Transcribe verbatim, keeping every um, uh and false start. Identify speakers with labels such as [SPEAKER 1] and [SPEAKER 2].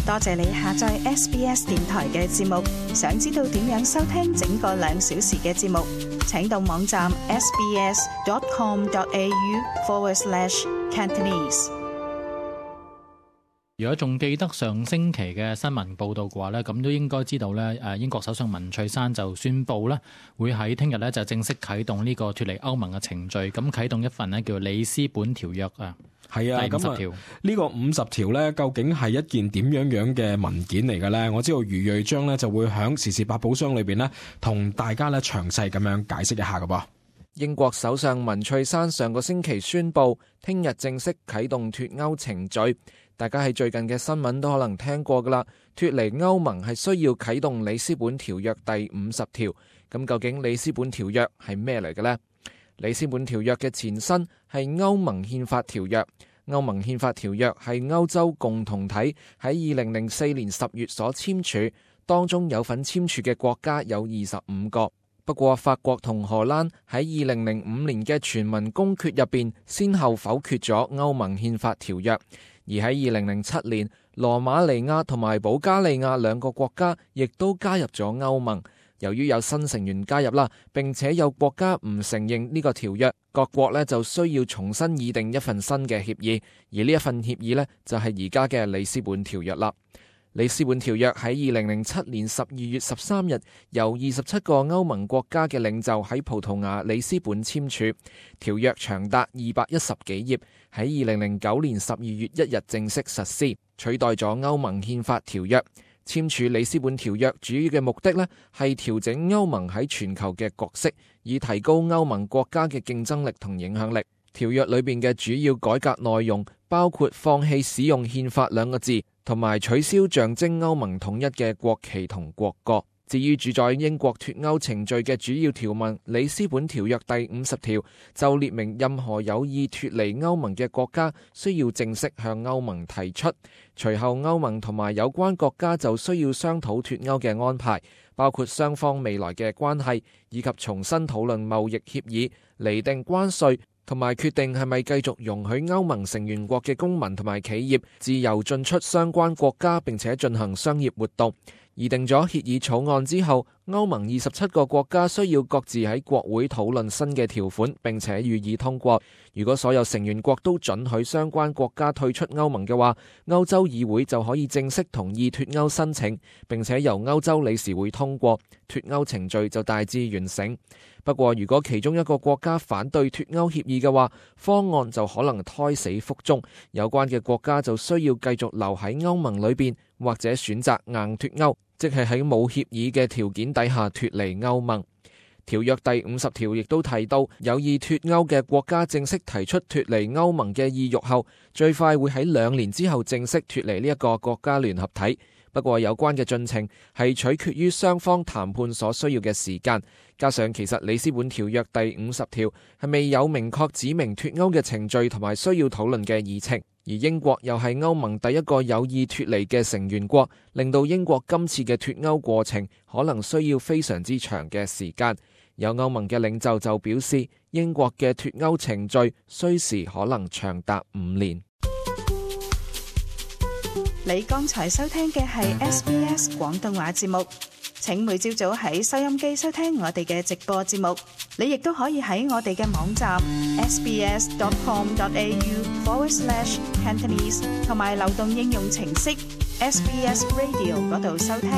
[SPEAKER 1] 多謝你下載 S B S 電台嘅節目。想知道點樣收聽整個兩小時嘅節目，請到網站 sbs.com.au forward slash Cantonese。
[SPEAKER 2] 如果仲記得上星期嘅新聞報導嘅話呢，咁都應該知道呢，誒英國首相文翠珊就宣布呢，會喺聽日呢就正式啟動呢個脫離歐盟嘅程序，咁啟動一份呢叫里斯本條約啊。
[SPEAKER 3] 係啊，咁啊，呢個五十條呢，究竟係一件點樣樣嘅文件嚟嘅呢？我知道余瑞章呢就會喺時事百寶箱裏邊呢，同大家呢詳細咁樣解釋一下㗎噃。
[SPEAKER 4] 英國首相文翠珊上個星期宣布，聽日正式啟動脫歐程序。大家喺最近嘅新聞都可能聽過噶啦，脫離歐盟係需要啟動里斯本條約第五十條。咁究竟里斯本條約係咩嚟嘅呢？里斯本條約嘅前身係歐盟憲法條約。歐盟憲法條約係歐洲共同體喺二零零四年十月所簽署，當中有份簽署嘅國家有二十五個。不過法國同荷蘭喺二零零五年嘅全民公決入邊，先後否決咗歐盟憲法條約。而喺二零零七年，羅馬尼亞同埋保加利亞兩個國家亦都加入咗歐盟。由於有新成員加入啦，並且有國家唔承認呢個條約，各國呢就需要重新擬定一份新嘅協議。而呢一份協議呢，就係而家嘅里斯本條約啦。里斯本條約喺二零零七年十二月十三日，由二十七個歐盟國家嘅領袖喺葡萄牙里斯本簽署。條約長達二百一十幾頁，喺二零零九年十二月一日正式實施，取代咗歐盟憲法條約。簽署里斯本條約主要嘅目的呢，係調整歐盟喺全球嘅角色，以提高歐盟國家嘅競爭力同影響力。條約裏邊嘅主要改革內容包括放棄使用憲法兩個字，同埋取消象徵歐盟統一嘅國旗同國歌。至於主宰英國脫歐程序嘅主要條文，里斯本條約第五十條就列明，任何有意脫離歐盟嘅國家需要正式向歐盟提出，隨後歐盟同埋有關國家就需要商討脫歐嘅安排，包括雙方未來嘅關係，以及重新討論貿易協議、釐定關稅，同埋決定係咪繼續容許歐盟成員國嘅公民同埋企業自由進出相關國家，並且進行商業活動。擬定咗協議草案之後，歐盟二十七個國家需要各自喺國會討論新嘅條款，並且予以通過。如果所有成員國都准許相關國家退出歐盟嘅話，歐洲議會就可以正式同意脫歐申請，並且由歐洲理事會通過，脫歐程序就大致完成。不過，如果其中一個國家反對脫歐協議嘅話，方案就可能胎死腹中，有關嘅國家就需要繼續留喺歐盟裏邊，或者選擇硬脫歐，即係喺冇協議嘅條件底下脫離歐盟。條約第五十條亦都提到，有意脫歐嘅國家正式提出脫離歐盟嘅意欲後，最快會喺兩年之後正式脫離呢一個國家聯合體。不過有關嘅進程係取決於雙方談判所需要嘅時間，加上其實里斯本條約第五十條係未有明確指明脫歐嘅程序同埋需要討論嘅議程，而英國又係歐盟第一個有意脫離嘅成員國，令到英國今次嘅脫歐過程可能需要非常之長嘅時間。有歐盟嘅領袖就表示，英國嘅脫歐程序需時可能長達五年。
[SPEAKER 1] 你剛才收聽嘅係 S B S 廣東話節目，請每朝早喺收音機收聽我哋嘅直播節目。你亦都可以喺我哋嘅網站 sbs.com.au forward slash Cantonese 同埋流動應用程式 S B S Radio 嗰度收聽。